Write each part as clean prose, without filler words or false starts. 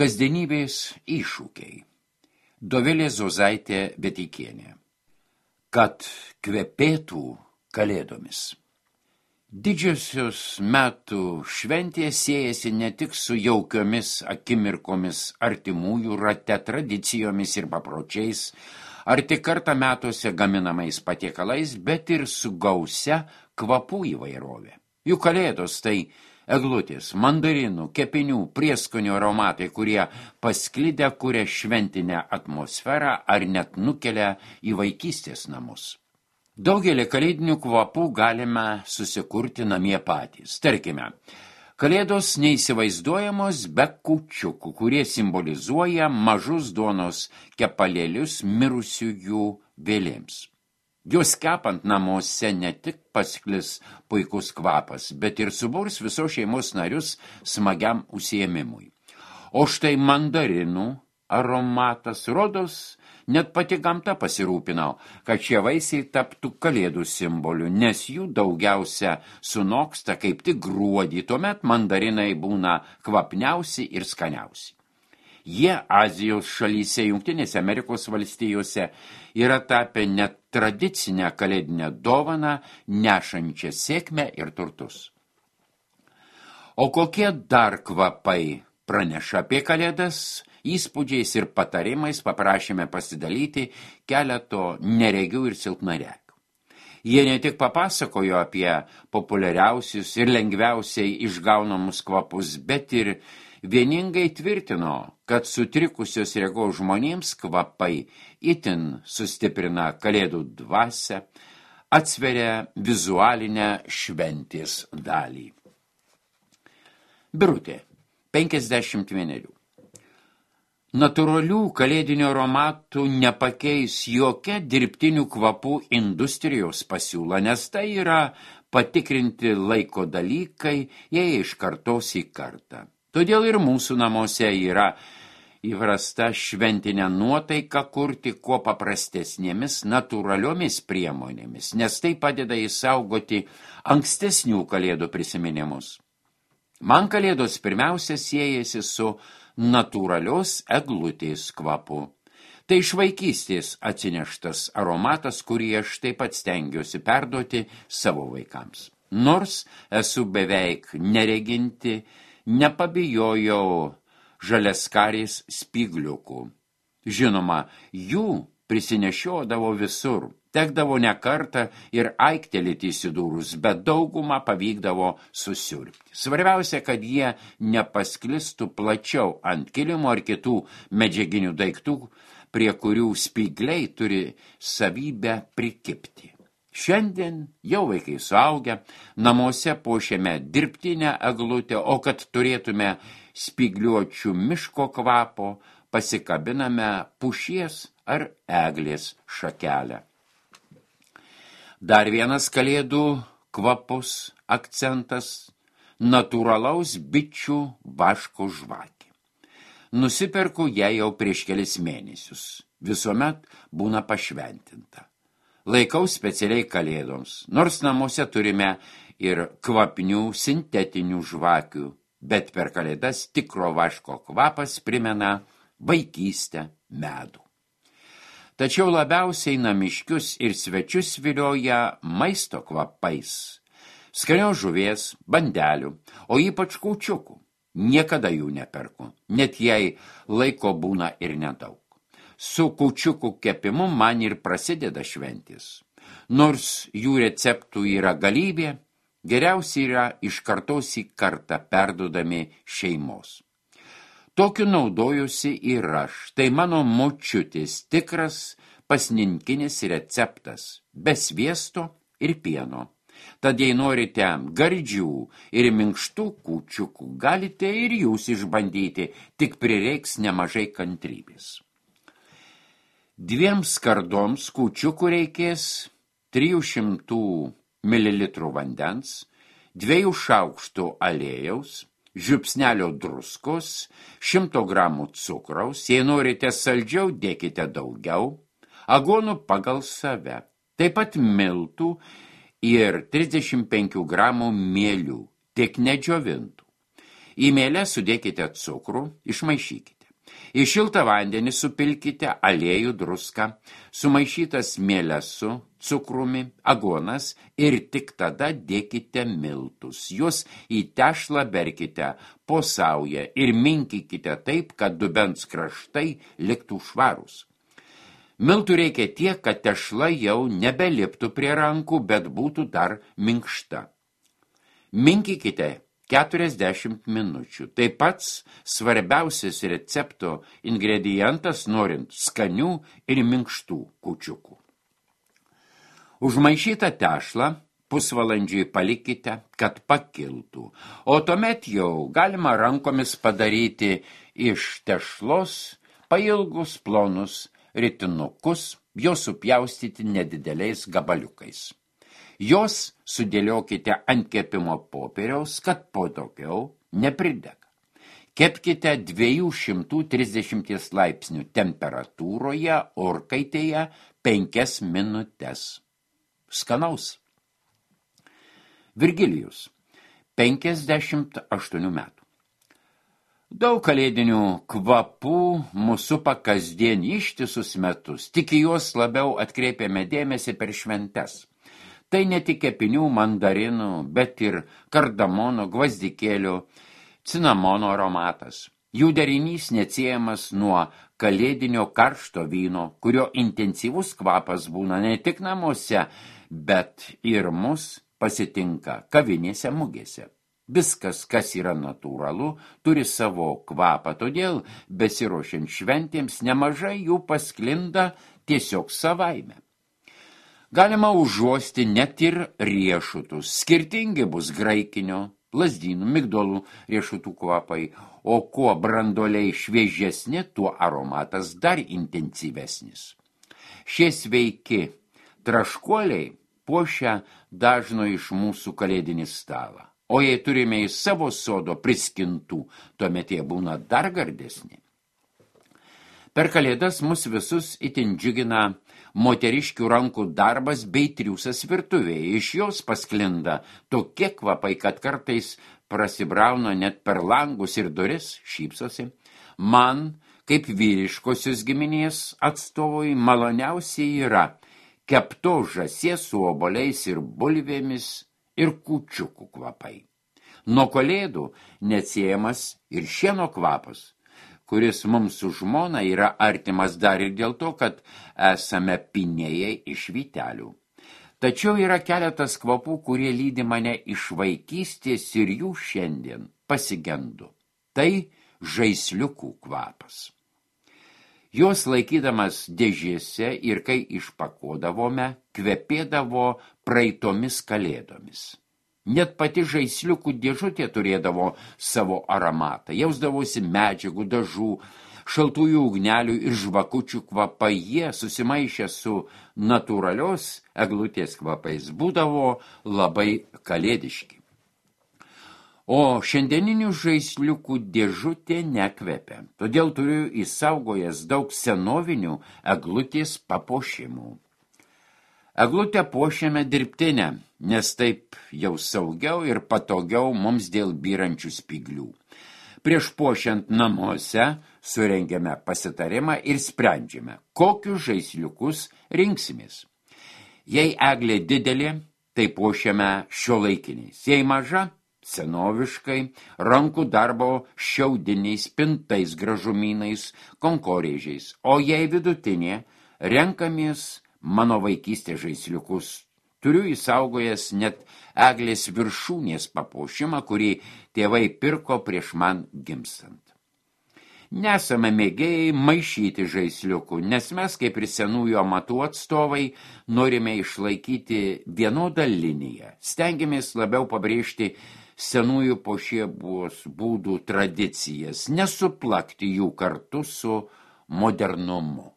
Kasdienybės iššūkiai. Dovilė Zozaitė Beteikienė. Kad kvepėtų kalėdomis. Didžiosios metų šventės siejasi ne tik su jaukiomis akimirkomis artimųjų rate, tradicijomis ir papročiais, ar tik kartą metuose gaminamais patiekalais, bet ir su gausia kvapų įvairovė. Juk kalėdos tai eglutės, mandarinų, kepinių, prieskonių aromatai, kurie pasklidę kuria šventinę atmosferą ar net nukelia į vaikystės namus. Daugelį kalėdinių kvapų galime susikurti namie patys. Tarkime, kalėdos neįsivaizduojamos be kūčiukų, kurie simbolizuoja mažus duonos kepalėlius mirusiųjų vėlėms. Juos kepant namuose ne tik pasklis puikus kvapas, bet ir suburs visos šeimos narius smagiam užsiėmimui. O štai mandarinų aromatas, rodos, net pati gamta pasirūpino, kad šie vaisiai taptų kalėdų simboliu, nes jų daugiausia sunoksta kaip tik gruodį, tuomet mandarinai būna kvapniausi ir skaniausi. Jie Azijos šalyse, Jungtinėse Amerikos valstijose yra tapę net tradicinę kalėdinę dovaną, nešančią sėkmę ir turtus. O kokie dar kvapai praneša apie kalėdas? Įspūdžiais ir patarimais paprašėme pasidalyti keleto neregių ir silpnaregių. Jie ne tik papasakojo apie populiariausius ir lengviausiai išgaunamus kvapus, bet ir vieningai tvirtino, kad sutrikusios regos žmonėms kvapai itin sustiprina kalėdų dvasią, atsveria vizualinę šventės dalį. Birutė, 51. Natūralių kalėdinių aromatų nepakeis jokia dirbtinių kvapų industrijos pasiūla, nes tai yra patikrinti laiko dalykai, jei iš kartos į kartą. Todėl ir mūsų namuose yra įprasta šventinę nuotaiką kurti kuo paprastesnėmis natūraliomis priemonėmis, nes tai padeda išsaugoti ankstesnių kalėdų prisiminimus. Man kalėdos pirmiausia siejasi su natūralios eglutės kvapu. Tai iš vaikystės atsineštas aromatas, kurį aš taip pat stengiuosi perduoti savo vaikams. Nors esu beveik nereginti, nepabijojau žaliaskarės spygliukų. Žinoma, jų prisinešiodavo visur. Tekdavo ne kartą ir aiktelėti įsidūrus, bet daugumą pavykdavo susiurbti. Svarbiausia, kad jie nepasklistų plačiau ant kilimo ar kitų medžiaginių daiktų, prie kurių spygliai turi savybę prikibti. Šiandien jau vaikai suaugę, namuose puošiame dirbtinę eglutę, o kad turėtume spygliuočių miško kvapo, pasikabiname pušies ar eglės šakelę. Dar vienas kalėdų kvapus akcentas – natūralaus bičių vaško žvakė. Nusiperku ją jau prieš kelis mėnesius. Visuomet būna pašventinta. Laikau specialiai kalėdoms, nors namuose turime ir kvapnių sintetinių žvakių, bet per kalėdas tikro vaško kvapas primena vaikystę, medų. Tačiau labiausiai namiškius ir svečius vilioja maisto kvapais. Skanios žuvies, bandelių, o ypač kūčiukų. Niekada jų neperku, net jei laiko būna ir nedaug. Su kūčiukų kepimu man ir prasideda šventės. Nors jų receptų yra galybė, geriausiai yra iš kartos į kartą perduodami šeimos. Tokiu naudojusi ir aš. Tai mano močiutės tikras pasninkinis receptas, be sviesto ir pieno. Tad jei norite gardžių ir minkštų kūčiukų, galite ir jūs išbandyti, tik prireiks nemažai kantrybės. 2 skardoms kūčiukų reikės 300 ml vandens, 2 šaukštų aliejaus, žiupsnelio druskos, 100 gramų cukraus, jei norite saldžiau, dėkite daugiau, aguonų pagal save, taip pat miltų ir 35 gramų mielių, tik nedžiovintų. Į mielę sudėkite cukrų, išmaišykite. Į šiltą vandenį supilkite aliejų, druską, sumaišytas mieles su cukrumi, aguonas ir tik tada dėkite miltus. Juos į tešlą berkite po saują ir minkykite taip, kad dubens kraštai liktų švarūs. Miltų reikia tiek, kad tešla jau nebeliptų prie rankų, bet būtų dar minkšta. Minkykite 40 minučių. Tai pats svarbiausias recepto ingredientas, norint skanių ir minkštų kūčiukų. Užmaišytą tešlą pusvalandžiui palikite, kad pakiltų, o tuomet jau galima rankomis padaryti iš tešlos pailgus plonus ritinukus, juos supjaustyti nedideliais gabaliukais. Jos sudėliokite ant kepimo popieriaus, kad po daugiau nepridega. Kepkite 230 laipsnių temperatūroje orkaitėje 5 minutes. Skanaus. Virgilijus, 58 metų. Daug kalėdinių kvapų mūsų supa kasdien ištisus metus, tik į juos labiau atkreipiame dėmesį per šventes. Tai ne tik kepinių, mandarinų, bet ir kardamono, gvazdikėlių, cinamono aromatas. Jų derinys neatsiejamas nuo kalėdinio karšto vyno, kurio intensyvus kvapas būna ne tik namuose, bet ir mus pasitinka kavinėse, mugėse. Viskas, kas yra natūralu, turi savo kvapą, todėl besiruošiant šventėms nemažai jų pasklinda tiesiog savaime. Galima užuosti net ir riešutus. Skirtingi bus graikinio, lazdynų, migdolų riešutų kvapai, o kuo branduoliai šviežesni, tuo aromatas dar intensyvesnis. Šie sveiki traškuoliai puošia dažno iš mūsų kalėdinį stalą. O jei turime į savo sodo priskintų, tuomet jie būna dar gardesni. Per kalėdas mus visus itin džiugina moteriškių rankų darbas bei triūsas virtuvėje. Iš jos pasklinda tokie kvapai, kad kartais prasibrauna net per langus ir duris, šypsosi. Man, kaip vyriškosios giminės atstovui, maloniausiai yra keptos žąsies su obuoliais ir bulvėmis ir kūčiukų kvapai. Nuo kalėdų neatsiejamas ir šieno kvapas, kuris mums su žmona yra artimas dar ir dėl to, kad esame pinėjai iš vytelių. Tačiau yra keletas kvapų, kurie lydi mane iš vaikystės ir jų šiandien pasigendu. Tai žaisliukų kvapas. Jos laikydamas dėžėse ir kai išpakuodavome, kvepėdavo praeitomis kalėdomis. Net pati žaisliukų dėžutė turėdavo savo aromatą, jausdavosi medžiagų, dažų, šaltųjų ugnelių ir žvakučių kvapai. Jie, susimaišę su natūralios eglutės kvapais, būdavo labai kalėdiški. O šiandieninių žaisliukų dėžutė nekvepia, todėl turiu įsaugojęs daug senovinių eglutės papuošimų. Eglutę puošiame dirbtinę, nes taip jau saugiau ir patogiau mums dėl byrančių spyglių. Prieš puošiant namuose surengiame pasitarimą ir sprendžiame, kokius žaisliukus rinksimės. Jei eglė didelė, tai puošiame šiuolaikiniais. Jei maža, senoviškai, rankų darbo šiaudiniais, pintais, gražumynais, konkorėžiais. O jei vidutinė, renkamės mano vaikystės žaisliukus. Turiu įsaugojęs net eglės viršūnės papuošimą, kurį tėvai pirko prieš man gimstant. Nesame mėgėjai maišyti žaisliukų, nes mes, kaip ir senųjų amatų atstovai, norime išlaikyti vienodą liniją. Stengiamės labiau pabrėžti senųjų puošybos būdų tradicijas, nesuplakti jų kartu su modernumu.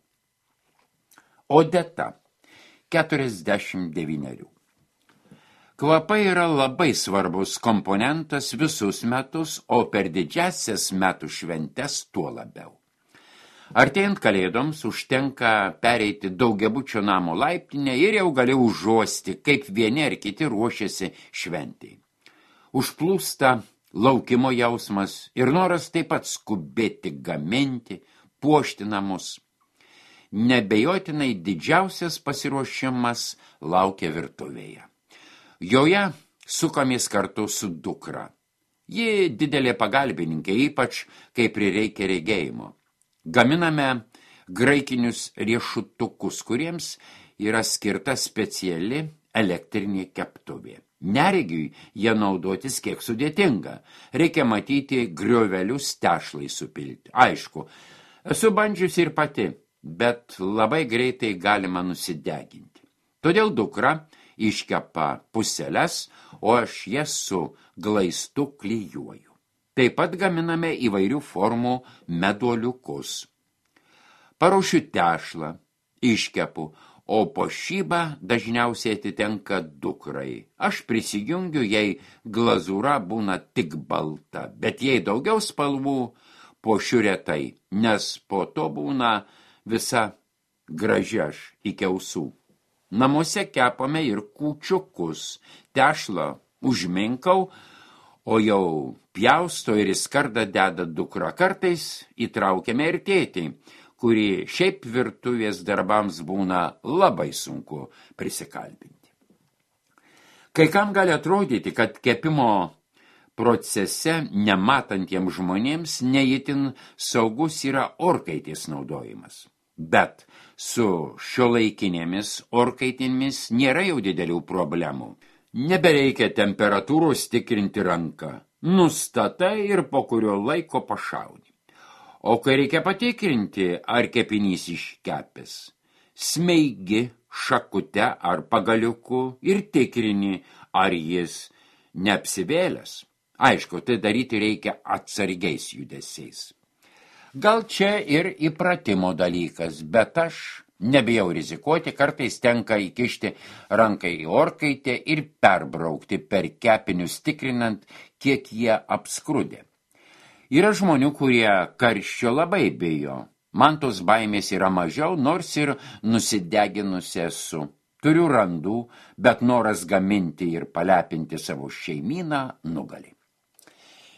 Odeta, 49. Kvapai yra labai svarbus komponentas visus metus, o per didžiasias metų šventes tuo labiau. Artėjant kalėdoms užtenka pereiti daugiabučio namo laiptinę ir jau gali užuosti, kaip vieni ar kiti ruošiasi šventei. Užplūsta laukimo jausmas ir noras taip pat skubėti gaminti, puošti namus. Nebejotinai didžiausias pasiruošimas laukia virtuvėje. Joje sukamės kartu su dukra. Ji didelė pagalbininkė, ypač kai prireikia regėjimo. Gaminame graikinius riešutukus, kuriems yra skirta speciali elektrinė keptuvė. Neregiui jie naudotis kiek sudėtinga. Reikia matyti griovelius tešlai supilti. Aišku, esu bandžiusi ir pati, bet labai greitai galima nusideginti. Todėl dukra iškepa puseles, o aš jas su glaistu klijuoju. Taip pat gaminame įvairių formų meduoliukus. Paruošiu tešlą, iškepu, o puošyba dažniausiai atitenka dukrai. Aš prisijungiu, jei glazūra būna tik balta, bet jei daugiau spalvų, puošiu retai, nes po to būna visa graži aš iki ausų. Namuose kepame ir kūčiukus, tešlą užminkau, o jau pjausto ir į skardą deda dukra. Kartais įtraukiame ir tėtį, kurį šiaip virtuvės darbams būna labai sunku prisikalbinti. Kai kam gali atrodyti, kad kepimo procese nematantiems žmonėms neįtin saugus yra orkaitės naudojimas. Bet su šiuolaikinėmis orkaitėmis nėra jau didelių problemų. Nebereikia temperatūros tikrinti ranką. Nustatai ir po kurio laiko pašauni. O kai reikia patikrinti, ar kepinys iškepęs, smeigi šakute ar pagaliuku ir tikrini, ar jis neapsivėlęs. Aišku, tai daryti reikia atsargiais judesiais. Gal čia ir įpratimo dalykas, bet aš nebijau rizikuoti, kartais tenka įkišti ranką į orkaitę ir perbraukti per kepinius, tikrinant, kiek jie apskrudė. Yra žmonių, kurie karščio labai bijo. Man tos baimės yra mažiau, nors ir nusideginusi esu. Turiu randų, bet noras gaminti ir palepinti savo šeimyną nugali.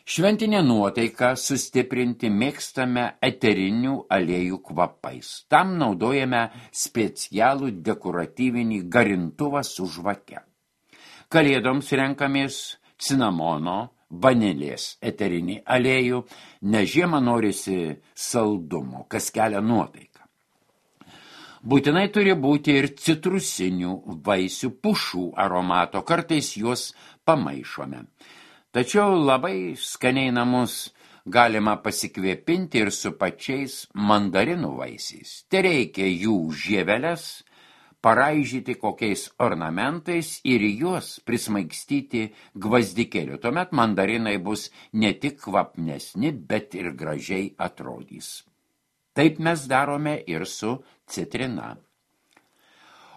Šventinę nuotaiką sustiprinti mėgstame eterinių aliejų kvapais. Tam naudojame specialų dekoratyvinį garintuvą su žvake. Kalėdoms renkamės cinamono, vanilės eterinį aliejų, nes žiemą norisi saldumo, kas kelia nuotaiką. Būtinai turi būti ir citrusinių vaisių pušų aromato, kartais juos pamaišome. Tačiau labai skaniai namus galima pasikvėpinti ir su pačiais mandarinų vaisiais. Tereikia jų žieveles paraižyti kokiais ornamentais ir juos prismaigstyti gvazdikėliu. Tuomet mandarinai bus ne tik kvapnesni, bet ir gražiai atrodys. Taip mes darome ir su citrina.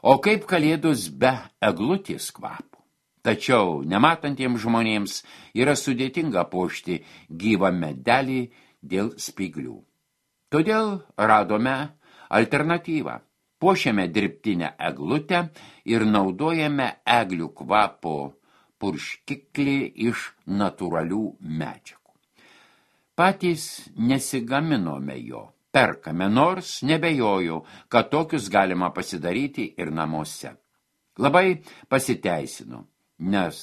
O kaip kalėdos be eglutės kvapo? Tačiau nematantiems žmonėms yra sudėtinga puošti gyvą medelį dėl spyglių. Todėl radome alternatyvą. Puošiame dirbtinę eglutę ir naudojame eglių kvapo purškiklį iš natūralių medžiagų. Patys nesigaminome jo, perkame, nors nebejoju, kad tokius galima pasidaryti ir namuose. Labai pasiteisinu, nes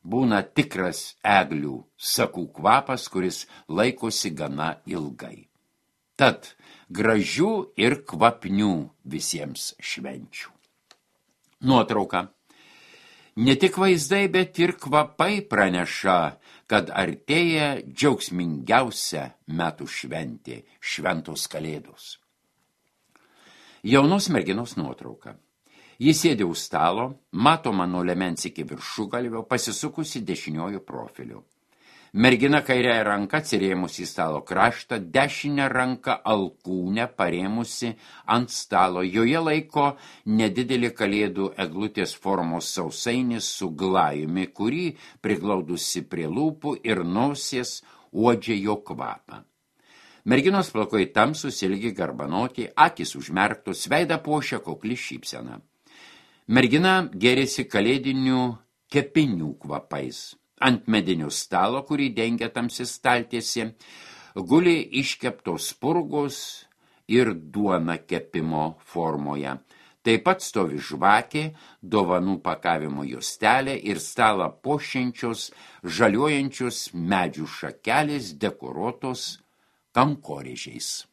būna tikras eglių sakų kvapas, kuris laikosi gana ilgai. Tad gražių ir kvapnių visiems švenčių. Nuotrauka. Ne tik vaizdai, bet ir kvapai praneša, kad artėja džiaugsmingiausia metų šventė – šventos kalėdos. Jaunos merginos nuotrauka. Jis sėdi už stalo, matoma nuo liemens iki viršugalvio, pasisukusi dešiniuoju profiliu. Mergina kairiąja ranka atsirėmusi į stalo kraštą, dešinę ranką alkūnę parėmusi ant stalo. Joje laiko nedidelį kalėdų eglutės formos sausainį su glajumi, kurį priglaudusi prie lūpų ir nosies uodžia jo kvapą. Merginos plaukai tamsūs, ilgi garbanoti, akys užmerktos, veidą puošia kukli šypsena. Mergina gėrėsi kalėdinių kepinių kvapais. Ant medinio stalo, kurį dengia tamsi staltiesė, guli iškeptos spurgos ir duona kepimo formoje. Taip pat stovi žvakė, dovanų pakavimo juostelė ir stalą puošiančios žaliuojančios medžių šakelės dekoruotos kankorėžiais.